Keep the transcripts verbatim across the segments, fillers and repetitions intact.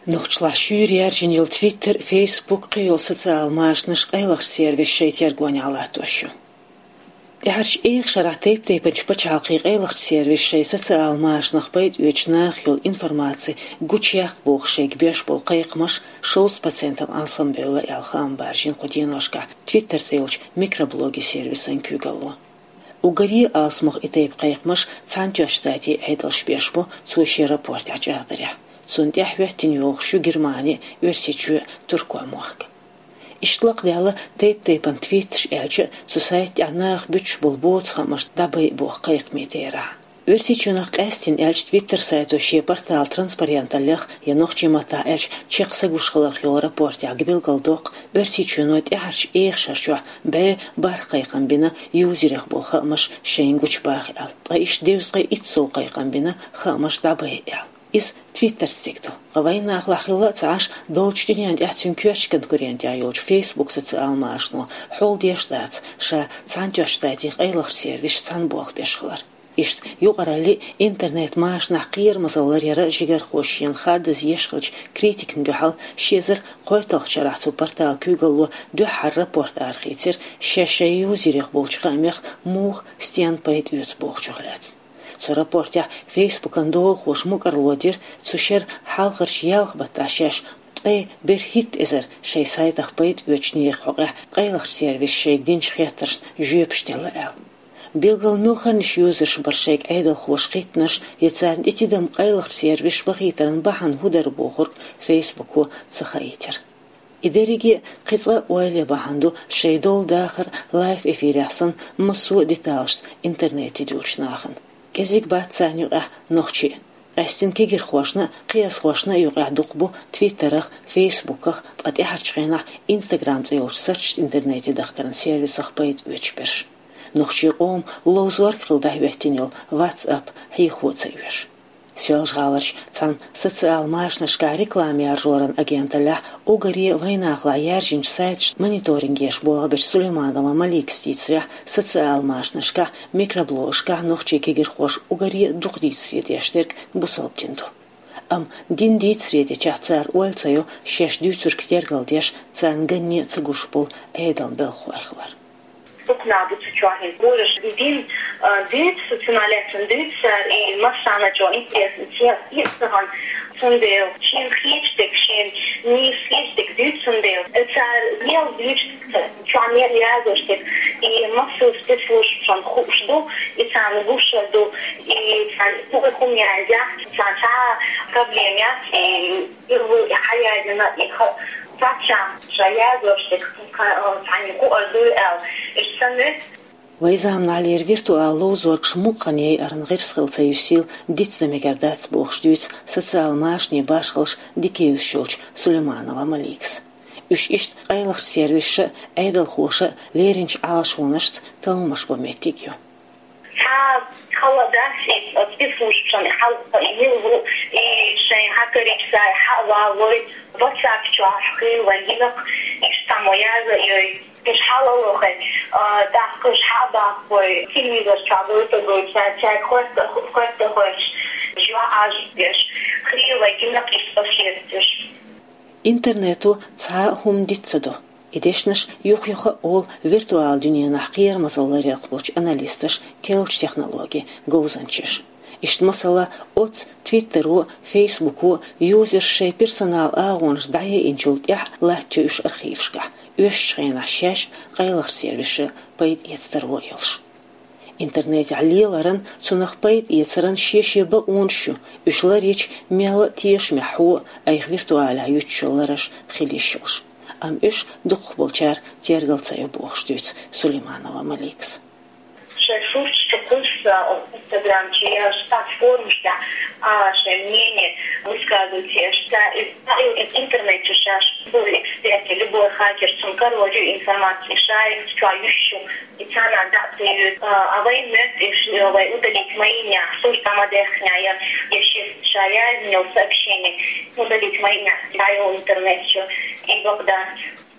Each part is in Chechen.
Нохчалахь шуьйра яьржина йолу Twitter, Facebook, кхин йолу социал машанаш къайлахчу сервисийн тергонехь латтош ю. ТӀаьхьарчу эха шарахь тайп-тайпанчу пачхьалкхийн къайлахчу сервисийн социал машанах пайда оьцучу нахах йолу информаци гучуяккха бохуш шайга беш болу кхайкхамаш шовзткъа процентана алсамбевлла аьлла хаам баржийна кху деношкахь Twitter цӀе йолчу микроблогийн сервисан куьйгалло. Уггаре а алсамох и тайпа кхайкхамаш Цхьаьнатоьхначу Штатийн Ӏедалша беш бу цо шен рапортехь чӀагӀдарехь. Цунна тӀаьхьа хӀоьттина йогӀуш ю Германи, Оьрсийчоь, Туркойн мохк. Иштта лакхадаьлла тайп-тайпана твитташ, аьлча а, цу сайта тӀехь наха буьтуш болу боцу хаамаш дӀабайа боху кхайкхамийн терахь. Оьрсийчоьнах къаьстина аьлча, Twitter сайто шен порталан транспаренталлех, я нохчийн маттахь аьлча, чекх са гуш хиларх йолу рапортехь билгалдоккху Оьрсийчоьно тӀаьхьарчу эха шар чохь бӀе бархӀ кхайкхам бина юзерех болу хаамаш шайна гучубаха аьлла. Ткъа иштта дезткъе итт сов кхайкхам бина хаамаш дӀабайа аьлла. Иза Twitter-ца цига ду. Ткъа вайн нахалахь хилла а ца Ӏаш, долчу дуьненна тӀехь цуьнан коьртачу конкурентехь йолчу Facebook социал машано хьулдеш дац ша Цхьаьнатоьхначу Штатийн къайлахчу сервисашца цхьаьна болх беш хилар. Иштта юкъаралли, интернет-машанехь кхерамазалла ларъяра жигархоша шена хаддаза еш хиллачу критикана дуьхьал ши эзар кхойтталгӀачу шарахь цу порталан куьйгалло дуьххьара рапорт арахийцира шаьш шайн юзерех болчу хаамех муха, стенна пайда оьцу бохучух лаьцна. Цу рапортехь Facebook-ан долахоша мукӀарло дира цу шеран хьалхарчу ялх баттахь шаьш ткъе берхӀитта эзар шайн сайтах пайда оьцучу нехан хьокъехь къайлахчу сервисо шайга динчу хеттаршна жоьпаш делла аьлла. Билггал муьлханнаш юзерш бара шайга Ӏедалхоша хиттинарш я царна тӀе тидам къайлахчу сервисаша бахийтаран бахьана хӀун дара бохург Facebook-о ца хаийтира. И дерриге а кхин цкъа а ойла ян бахьана ду шайн долу дахар лайв-эфирехь санна массо а деталашца интернете дуьллучу нахана. КӀезиг бац царна юкъахь нохчий а. Къаьстина кегирхошна а, кхиазхошна а юкъахь дукха бу Twitter-ах, Facebook-ах, ткъа тӀаьхьарчу хенахь Instagram цӀе йолчу сарчашца интернете дахкаран сервисах пайда оьцуш берш. Нохчийн къоман ловзорг хилла дӀахӀоьттина йолу WhatsApp хьехо а ца оьшу. Соьлжа-ГӀаларчу цхьана социал машанашкахь реклама яржоран агенталлехь, уггаре а вайн нахалахь яьржинчу сайташна мониторинг еш болх бечу Сулейманова Маликас дийцарехь, социал машанашкахь, микроблогашкахь нохчийн кегирхоша уггаре а дукха дийцаре деш дерг бусалба дин ду. Амма дин дийцаре дечохь цара ойла ца йо шаьш дуьйцург тергалдеш, царна ганне а ца гуш болу Ӏедалан белхахой хилар. Дукха нах ду цу чохь, хӀинца гураш дин, а, дуьйцу, цунах лаьцна дуьйцу цара, и массарна чӀогӀа интересно, цхьа а хӀума, цундела шена хеташ дерг, шена нийса хеташ дерг дуьйцу, цундела цара мел дуьйцу, чохь мел язъеш дерг, и массо а спецслужбашна хууш ду, и царна гуш а ду, и царна хӀума яздеш, царна цхьа а проблема яц, и и ву, и хьаязйина, и ха-, паччахьна ша язъеш дерг, ка-, цхьаьна кхуар дуй аьлла, иштта ца муьту. Вайн заманахьлера виртуал ловзоргаш мукъа хан яйаран гӀирс хила ца юьсийла дицдан мегар дац бохуш дуьйцу социал машанийн башхаллаш дика евзаш йолчу Сулейманова Маликас. Уьш иштта къайлахчу сервисаша а, Ӏедалхоша а леринчу Ӏалашонашца талламаш бан меттиг ю. Цхьа хала дац и спецслужбашна хьалха и мила ву, и шайн хьакарийча сай хьа а валлой, WhatsApp чохь хила вайн гинарг, иштта цхьаммо язйой, уьш хьалалахой, а, тӀаккха уьш хьа а баккхой, телевизор чохь гойтургой, цаьрга, цаьрга хоьтта-, хоьттахойчу, жоьжахаташ деш, хила вайн гинарг, иштта къа хеташ. Интернето цхьа а хӀума диц ца до. И дешнаш юха-юха а олу виртуал дуьненахь кхерамазалла ларъярх болчу аналисташа, керлачу технологийн говзанчаша. Иштта, масала, оцу Твиттеро, Фейсбуко юзерша шайн персонал агӀонаш дӀаяйинчул тӀаьхьа латтайо уьш архивашкахь, оьшучу хенахь шаьш а, къайлахчу сервисаша пайда эца таро а йолуш. Интернетехь леларан, цунах пайда эцаран шен-шен бакъонаш ю, уьш ларйича мелла а тешамехь хьо а, айхьа виртуалехь юьтуш йолу лараш хила йиш йолуш. Амма уьш дукхахболчара тергал ца йо бохуш дуьйцу Сулейманова Маликас. Шайн сурташ чу кхуьссуш, Instagram чу я стаг формаш тӀехь а шайн мнение высказывать еш, ца и, ца и интернет чу шаьш любой эксперт, любой хакер, цунна карор ю информаци, шайх чохь юьсуш ю. И царна дӀа а ца йоьду, а, а вайн моьтту уьш, а, вай удалить мои, сурт а ма даьхкина, я, я шеца ша яздина йолу сообщение удалить мои, дӀайо интернет чу, и бакъ дац.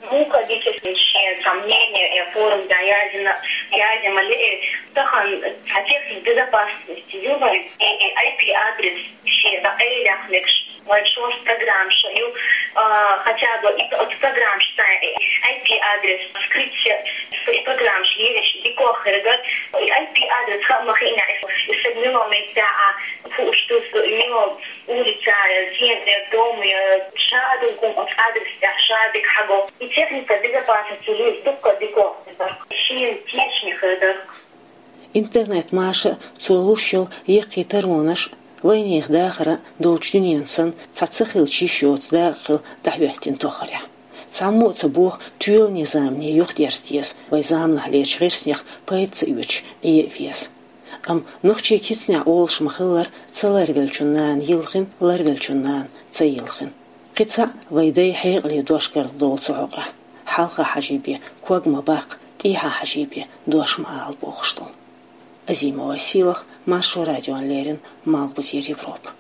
Муха дича шен цхьа мнение я форма дӀаяздина, яздина ма ле, тахана цхьа техника безопасности ю вайн, и, и I P адрес шен дӀа къайлаяккха мегаш. Вай шоаш программаш ю, а, хотя бы и от программаш цхьа IP адрес скрыть, и программаш ераш дикох херга, и IP адрес ха ма хина, и саг мило меттаха, фу уштус, мило улица, сенер, дом, шадугум от адрес тя шадик хаго. И техника безопасности есть, дукка дикох херга. Шин тешни херга. Интернет маша цо луш йола яккхий таронаш вайнех дахара долчу дуьнен санна цхьа ца хилча йиш йоцу дакъа хила дӀахӀоьттина тохарехь. Цхьаммо а ца боху тоьлане замане юхадерза деза, вай заманахь лерчу гӀирснех пайда ца оьцуш Ӏе а веза. Амма нохчийн кицанехь олуш ма-хиллара, ца ларвеллачун нана йилхина, ларвеллачун нана ца йилхина. Кхин цхьаъ вай дай хьекъале дош карладолу цу хьокъехь. Хьалха хьажий бен ког ма баккха, тӀехьа хьажий бен дош ма ала бохуш долу. Азимова Силах, Маршо радиона леррина, Малхбузера Европа.